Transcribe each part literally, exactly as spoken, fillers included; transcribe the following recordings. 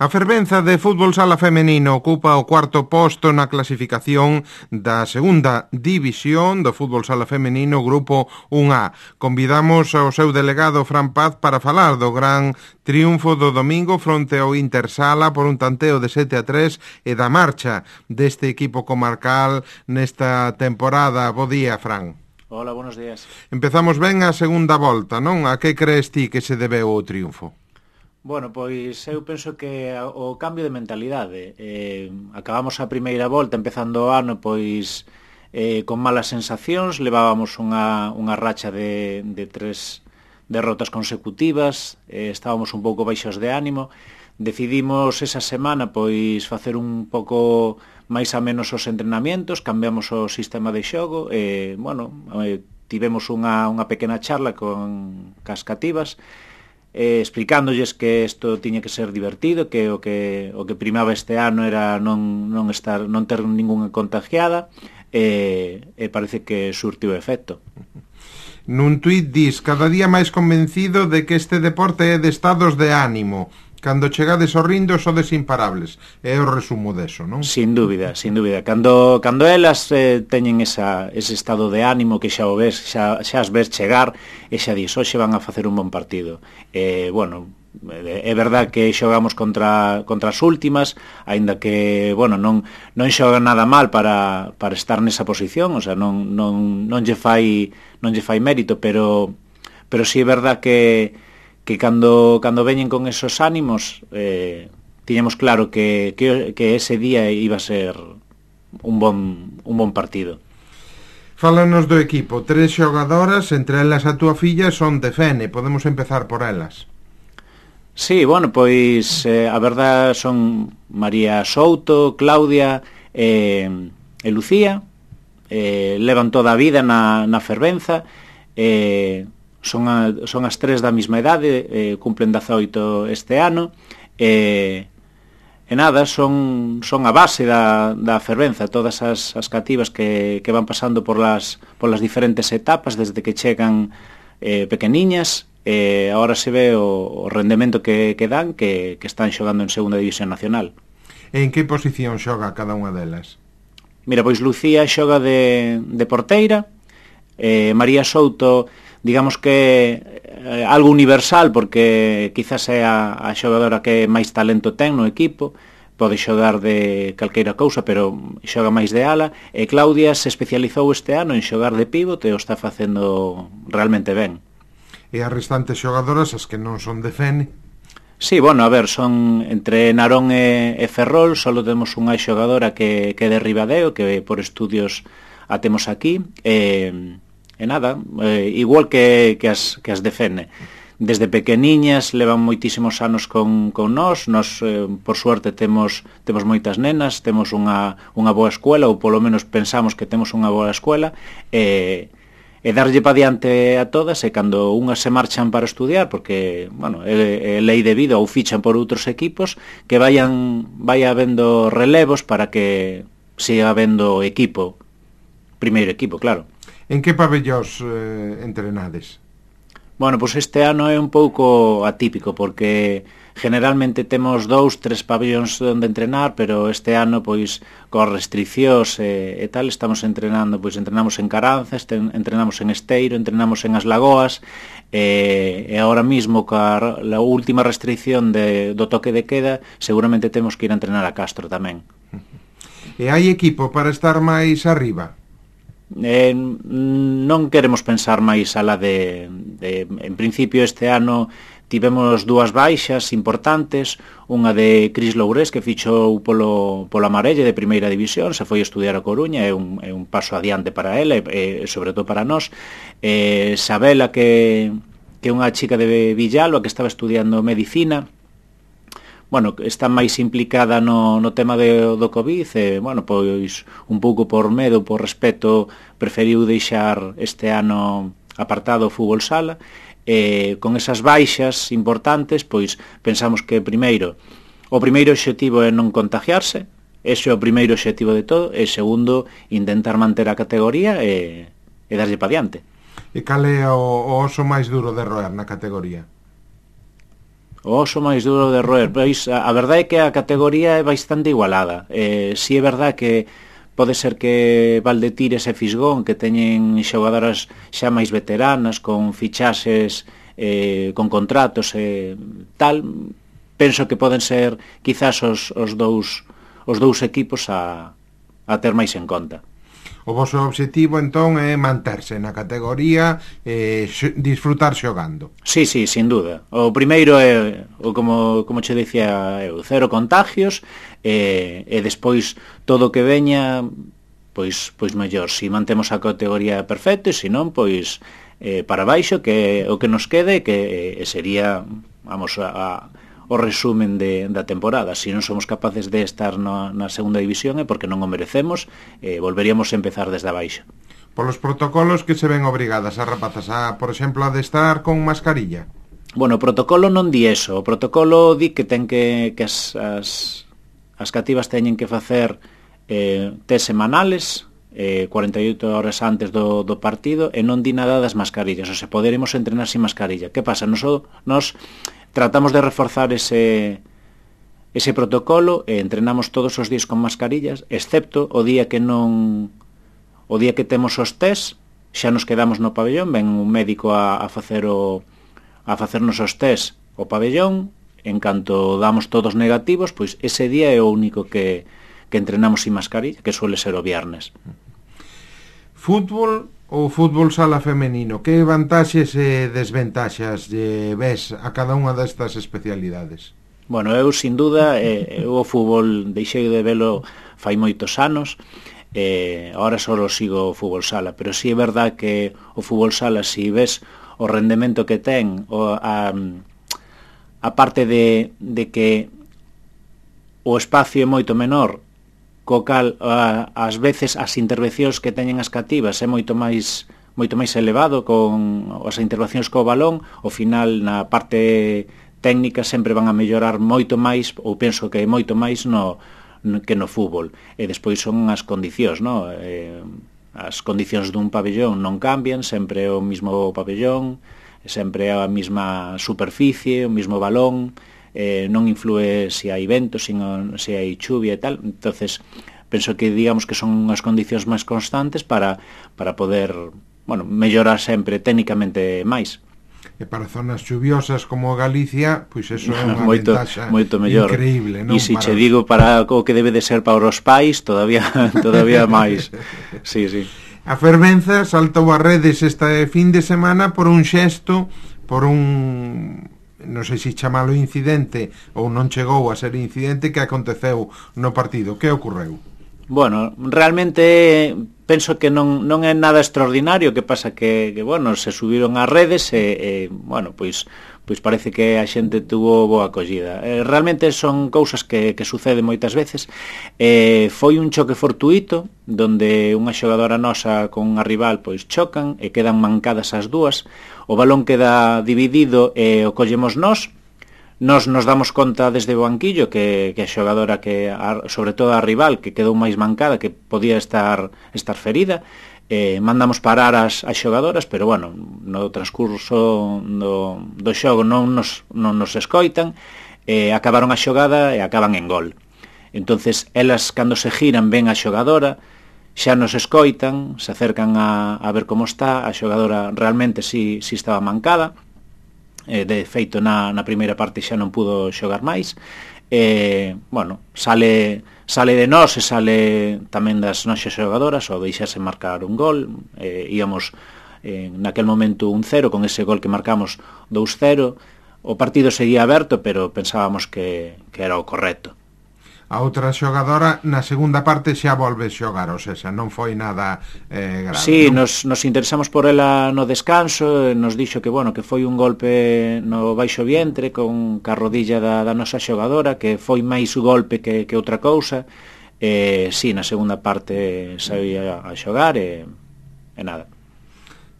A fervenza de fútbol sala femenino ocupa o cuarto posto na clasificación da segunda división do fútbol sala femenino Grupo un A. Convidamos ao seu delegado Fran Paz para falar do gran triunfo do domingo fronte ao Intersala por un tanteo de sete a tres e da marcha deste equipo comarcal nesta temporada. Bo día, Fran. Hola, buenos días. Empezamos ben a segunda volta, non? A que crees ti que se debeu o triunfo? Bueno, pois eu penso que o cambio de mentalidade. Eh, acabamos a primeira volta, empezando o ano, pois eh, con malas sensacións, levábamos unha, unha racha de, de tres derrotas consecutivas, eh, estábamos un pouco baixos de ánimo, decidimos esa semana pois facer un pouco máis a menos os entrenamientos, cambiamos o sistema de xogo, e, bueno, eh, tivemos unha, unha pequena charla con cas cativas, eh, explicándolles que isto tiña que ser divertido, que o que o que primaba este ano era non non estar non ter ningunha contagiada, e, e parece que surtiu efecto. Nun tuit dis: cada día máis convencido de que este deporte é de estados de ánimo. Cando chegades ao rindo sodes imparables. É o resumo deso, non? Sin dúbida, sin dúbida. Cando, cando elas eh, teñen esa, ese estado de ánimo que xa o ves, xa, xa as ves chegar, e xa dis, hoxe van a facer un bon partido. Eh, bueno, é verdad que xogamos contra, contra as últimas, aínda que, bueno, non, non xogan nada mal para, para estar nesa posición, o sea, non, non, non lle fai non lle fai mérito, pero, pero si é verdad que que cando, cando veñen con esos ánimos, eh, tiñamos claro que, que, que ese día iba a ser un bon, un bon partido. Fálanos do equipo. Tres xogadoras, entre elas a túa filla, son de Fene. Podemos empezar por elas. Sí, bueno, pois eh, a verdad son María Souto, Claudia e, e Lucía. Eh, levan toda a vida na, na fervenza, e... Eh, Son, a, son as tres da mesma idade, eh, cumplen dezaoito este ano, e, e nada, son, son a base da, da fervenza, todas as, as cativas que, que van pasando por las, por las diferentes etapas, desde que chegan eh, pequeniñas, e agora se ve o, o rendemento que, que dan, que, que están xogando en segunda división nacional. En que posición xoga cada unha delas? Mira, pois Lucía xoga de, de porteira, eh, María Souto, digamos que eh, algo universal, porque quizás é a, a xogadora que máis talento ten no equipo, pode xogar de calqueira cousa, pero xoga máis de ala, e Claudia se especializou este ano en xogar de pívot e o está facendo realmente ben. E as restantes xogadoras, as que non son de Fene? Sí, bueno, a ver, son entre Narón e, e Ferrol, só temos unha xogadora que, que é de Ribadeo, que por estudios a temos aquí, e... E nada, eh, igual que, que, as, que as de Fene. Desde pequeniñas levan moitísimos anos con, con nós, nós eh, por suerte temos, temos moitas nenas, temos unha, unha boa escuela, ou polo menos pensamos que temos unha boa escuela, e, e darlle pa diante a todas, e cando unhas se marchan para estudiar, porque, bueno, é, é lei de vida, ou fichan por outros equipos, que vayan, vaya habendo relevos para que siga habendo equipo, primeiro equipo, claro. En que pabellós eh, entrenades? Bueno, pois este ano é un pouco atípico, porque generalmente temos dous, tres pabellóns onde entrenar, pero este ano, pois, con restriccións e, e tal, estamos entrenando, pois, entrenamos en Caranzas, entrenamos en Esteiro, entrenamos en As Lagoas, e, e agora mismo, ca a última restricción de, do toque de queda, seguramente temos que ir a entrenar a Castro tamén. E hai equipo para estar máis arriba? Eh, non queremos pensar máis alá de, de en principio este ano tivemos dúas baixas importantes, unha de Cris Lourés, que fichou polo, polo Amarelle de primeira división, se foi estudiar a Coruña, é un, é un paso adiante para ela e, e sobre todo para nós. eh, Sabela, que, que é unha chica de Villalo, que estaba estudiando medicina, bueno, está máis implicada no, no tema de, do COVID, e, bueno, pois un pouco por medo, por respeto, preferiu deixar este ano apartado o fútbol sala, e con esas baixas importantes, pois pensamos que primeiro, o primeiro obxectivo é non contagiarse, ese é o primeiro obxectivo de todo, e segundo, intentar manter a categoría e, e darlle pa diante. E cal é o, o oso máis duro de roer na categoría? O oso máis duro de roer. Pois a, a verdade é que a categoría é bastante igualada. Eh, si é verdade que pode ser que Valdetires e Fisgón, que teñen xogadoras xa máis veteranas, con fichaxes, eh, con contratos e eh, tal, penso que poden ser quizás os, os, dous, os dous equipos a, a ter máis en conta. O vosso objetivo, entón, é manterse na categoría e eh, disfrutar xogando. Sí, sí, sin duda. O primeiro é, o como, como che dicía eu, cero contagios, e, e despois todo o que veña, pois, pois mellor. Si mantemos a categoría perfecta, e se non, pois eh, para baixo, que o que nos quede, que eh, sería, vamos, a... a o resumen de, da temporada. Se non somos capaces de estar na, na segunda división é porque non o merecemos, eh, volveríamos a empezar desde abaixo. Polos protocolos que se ven obrigadas as rapazas a, por exemplo, a de estar con mascarilla? Bueno, o protocolo non di eso. O protocolo di que ten que, que as, as, as cativas teñen que facer eh, test semanales, eh, cuarenta e oito horas antes do, do partido, e non di nada das mascarillas. O sea, poderemos entrenar sin mascarilla. Que pasa? Nos, nos tratamos de reforzar ese, ese protocolo e entrenamos todos os días con mascarillas, excepto o día que non o día que temos os test, xa nos quedamos no pabellón, ven un médico a, a facer o a facernos os test o pabellón, en canto damos todos negativos, pois ese día é o único que, que entrenamos sin mascarilla, que suele ser o viernes. Fútbol ou fútbol sala femenino, que vantaxes e desventaxas lle ves a cada unha destas especialidades? Bueno, eu, sin duda, eh, eu o fútbol deixei de velo fai moitos anos, eh, agora só sigo o fútbol sala, pero si sí é verdad que o fútbol sala, si ves o rendemento que ten, o, a, a parte de, de que o espacio é moito menor, co cal a, ás veces as intervencións que teñen as cativas é moito máis moito máis elevado con as intervencións co balón, ao final na parte técnica sempre van a mellorar moito máis, ou penso que moito máis no, no que no fútbol. E despois son as condicións, no? Eh, as condicións dun pabellón non cambian, sempre é o mismo pabellón, sempre é a mesma superficie, o mismo balón, eh, non influe se hai vento, se, se hai chuvia e tal. Entonces penso que digamos que son as condicións máis constantes para, para poder, bueno, mellorar sempre técnicamente máis. E para zonas chuviosas como Galicia, pois eso é unha moito, ventaxa moito mellor. Increíble, non? E se para... che digo para o que debe de ser para os pais, todavía todavía máis. Sí, sí. A fervenza saltou a redes este fin de semana por un xesto, por un, non sei se chamalo incidente ou non chegou a ser incidente, que aconteceu no partido. Que ocorreu? Bueno, realmente penso que non, non é nada extraordinario, que pasa que, que bueno, se subiron ás redes e, e bueno, pois pois parece que a xente tuvo boa acollida. Eh, realmente son cousas que, que suceden moitas veces. Eh, foi un choque fortuito, donde unha xogadora nosa con unha rival pois chocan e quedan mancadas as dúas. O balón queda dividido e o collemos nós. Nos nos damos conta desde o banquillo que, que a xogadora, que a, sobre todo a rival, que quedou máis mancada, que podía estar estar ferida, eh, mandamos parar as, as xogadoras, pero bueno, no transcurso do, do xogo non nos, non nos escoitan, eh, acabaron a xogada e acaban en gol. Entonces elas, cando se giran, ven a xogadora, xa nos escoitan, se acercan a, a ver como está, a xogadora realmente si, si estaba mancada, eh, de feito na, na primeira parte xa non pudo xogar máis, e, bueno, sale sale de nós e sale tamén das noxas xogadoras ao deixarse marcar un gol. Eh, íamos eh, naquel momento un cero, con ese gol que marcamos dous cero, o partido seguía aberto, pero pensábamos que, que era o correcto. A outra xogadora na segunda parte xa volve xogar, ou seja, non foi nada eh, grave. Sí, non? nos, nos interesamos por ela no descanso, nos dixo que, bueno, que foi un golpe no baixo vientre con ca rodilla da, da nosa xogadora, que foi máis golpe que, que outra cousa. Eh, sí, na segunda parte saía a xogar e, e nada.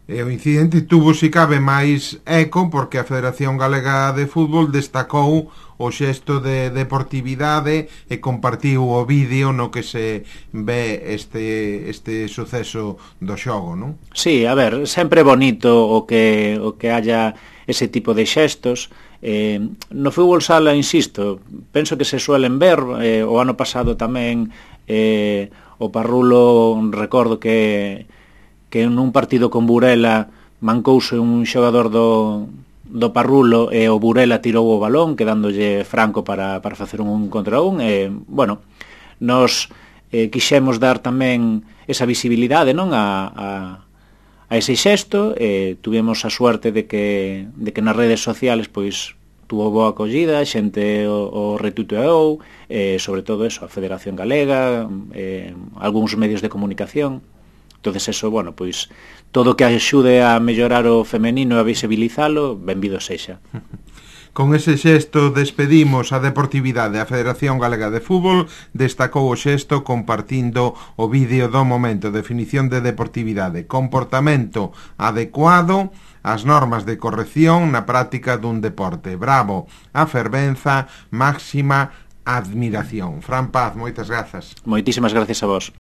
E o incidente tuvo, se cabe, máis eco porque a Federación Galega de Fútbol destacou o xesto de deportividade e compartiu o vídeo no que se ve este, este suceso do xogo, non? Sí, a ver, sempre bonito o que, o que haya ese tipo de xestos. Eh, no fútbol sala, insisto, penso que se suelen ver, eh, o ano pasado tamén eh, o Parrulo, recordo que que nun partido con Burela mancouse un xogador do, do Parrulo e o Burela tirou o balón quedándolle franco para, para facer un contra un e, bueno, nos eh, quixemos dar tamén esa visibilidade, non, a, a, a ese xesto e tuvemos a suerte de que, de que nas redes sociales pois tuvo boa acollida, xente o, o retuiteou, eh, sobre todo eso, a Federación Galega, eh, algúns medios de comunicación. Entonces eso, bueno, pois todo que axude a mellorar o femenino e a visibilizalo, benvido sexa. Con ese xesto despedimos a deportividade. A Federación Galega de Fútbol destacou o xesto compartindo o vídeo do momento. Definición de deportividade: comportamento adecuado ás normas de corrección na práctica dun deporte. Bravo, a fervenza, máxima admiración. Fran Paz, moitas grazas. Moitísimas gracias a vos.